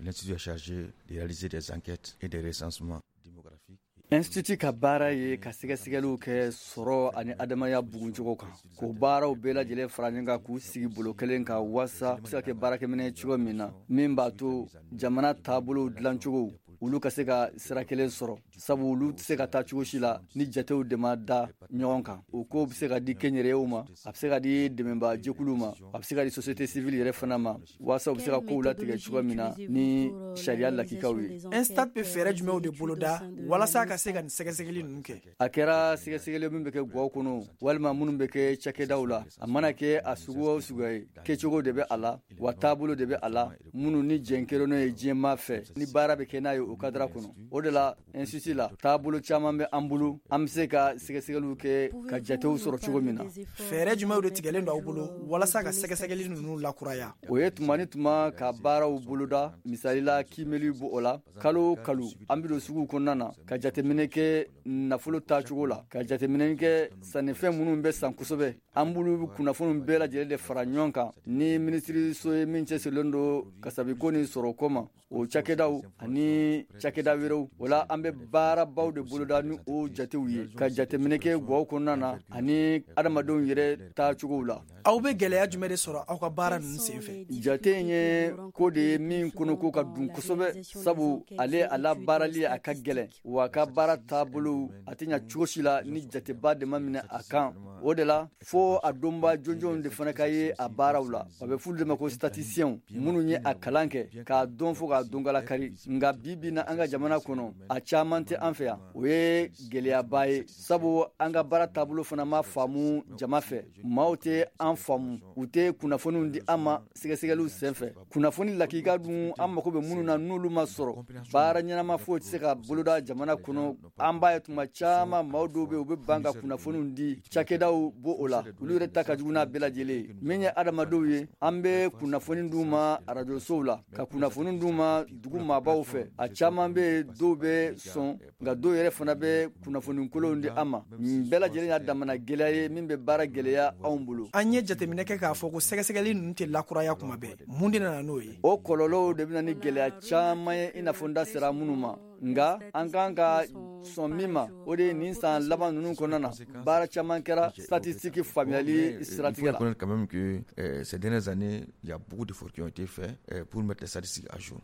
L'Institut est chargé de réaliser des enquêtes et des recensements démographiques. Institut ka baara ye ka sɛgɛsɛgɛliw kɛ sɔrɔ ani adamaya buguncogo kan, k'o baaraw bɛɛ lajɛlen fara ɲɔgɔn kan, k'u sigi bolo kelen kan, waasa bɛ se ka kɛ baarakɛminɛ cogo min na min b'a to jamana taabolow dilancogo olu ka se ka sira kelen sɔrɔ, sabu olu tɛ se ka taa cogo si la ni jatew de ma da ɲɔgɔn kan. O ko bɛ se ka di kɛnyɛrɛyew ma, a bɛ se ka di dɛmɛba jɛkuluw ma, a bɛ se ka di société civile yɛrɛ fana ma, waasa u bɛ se ka kow latigɛ cogo min na ni sariya lakikaw ye. Instat bɛ fɛɛrɛ jumɛnw de boloda walasa ka se ka nin sɛgɛsɛgɛli ninnu kɛ? A kɛra sɛgɛsɛgɛli min bɛ kɛ gaw kɔnɔ walima minnu bɛ kɛ cakɛdaw la, a mana kɛ a sugu o suguya ye, kɛcogo de bɛ a la, wa taabolo de bɛ a la minnu ni jɛn kɛlen ye diɲɛmaa fɛ ni baara bɛ kɛ n'a ye o cadre kɔnɔ. O de la, institut la, taabolo caman bɛ an bolo, an bɛ se ka sɛgɛsɛgɛliw kɛ ka jatew sɔrɔ cogo min na. Fɛɛrɛ jumɛnw de tigɛlen don aw bolo walasa ka sɛgɛsɛgɛli ninnu lakuraya? O ye tuma ni tuma ka baaraw boloda. Misali la, kiimɛli b'o o la. Kalo o kalo, an bɛ don suguw kɔnɔna na ka jateminɛ kɛ nafolo taacogo la, ka jateminɛ kɛ sannifɛn minnu bɛ san kosɛbɛ. An b'olu kunnafoniw bɛɛ lajɛlen de fara ɲɔgɔn kan ni minisiriso ye min cɛsirilen don kasabiko ni sɔrɔko ma, o cakɛdaw ani cakɛda wɛrɛw. O la, an bɛ baarabaw de boloda ni o jatew ye, ka jateminɛ kɛ gaw kɔnɔna na ani adamadenw yɛrɛ taacogow la. Aw bɛ gɛlɛya jumɛn de sɔrɔ aw ka baara ninnu senfɛ? Jate in ye ko de ye min kɔnɔko ka dun kosɛbɛ, sabu ale a la baarali a ka gɛlɛn, wa a ka baara taabolo a tɛ ɲɛ cogo si la ni jateba de ma minɛ a kan. O de la, fo a dɔnba jɔnjɔnw de fana ka ye a baaraw la. A bɛ f'olu de ma ko statisticiens, minnu ye a kalan kɛ k'a dɔn fo k'a dɔnkala kari. Nka bi bi na, an ka jamana kɔnɔ, a caman tɛ an fɛ yan. O ye gɛlɛyaba ye, sabu an ka baara taabolo fana ma faamu jama fɛ. Maaw tɛ an faamu, u tɛ kunnafoniw di an ma sɛgɛsɛgɛliw senfɛ. Kunnafoni lakika dun, an mago bɛ minnu na, n'olu ma sɔrɔ, baara ɲɛnama foyi tɛ se ka boloda jamana kɔnɔ. An b'a ye tuma caman, maaw dɔw bɛ yen, u bɛ ban ka kunnafoniw di. Cakɛdaw b'o o la, olu yɛrɛ ta ka jugu n'a bɛɛ lajɛlen ye. Min ye adamadenw ye, an bɛ kunnafoni d'u ma arajosow la, ka kunnafoni d'u ma dugu maabaw fɛ. A caman bɛ yen, dɔw bɛ sɔn, nka dɔw yɛrɛ fana bɛ kunnafoni kolonw di an ma. Nin bɛɛ lajɛlen y'a damana gɛlɛya ye min bɛ baara gɛlɛya anw bolo. An ye jateminɛ kɛ k'a fɔ ko sɛgɛsɛgɛli ninnu tɛ lakuraya kuma bɛɛ. Mun de nana n'o ye? O kɔlɔlɔw de bɛ na ni gɛlɛya caman ye, i n'a fɔ n da sera minnu ma. Nka an kan ka sɔn min ma, o de ye nin san laban ninnu kɔnɔna na, baara caman kɛra statistique faamuyali siratigɛ la. Quand même que ces dernières années, il y a beaucoup d'efforts qui ont été faits pour mettre les statistiques à jour.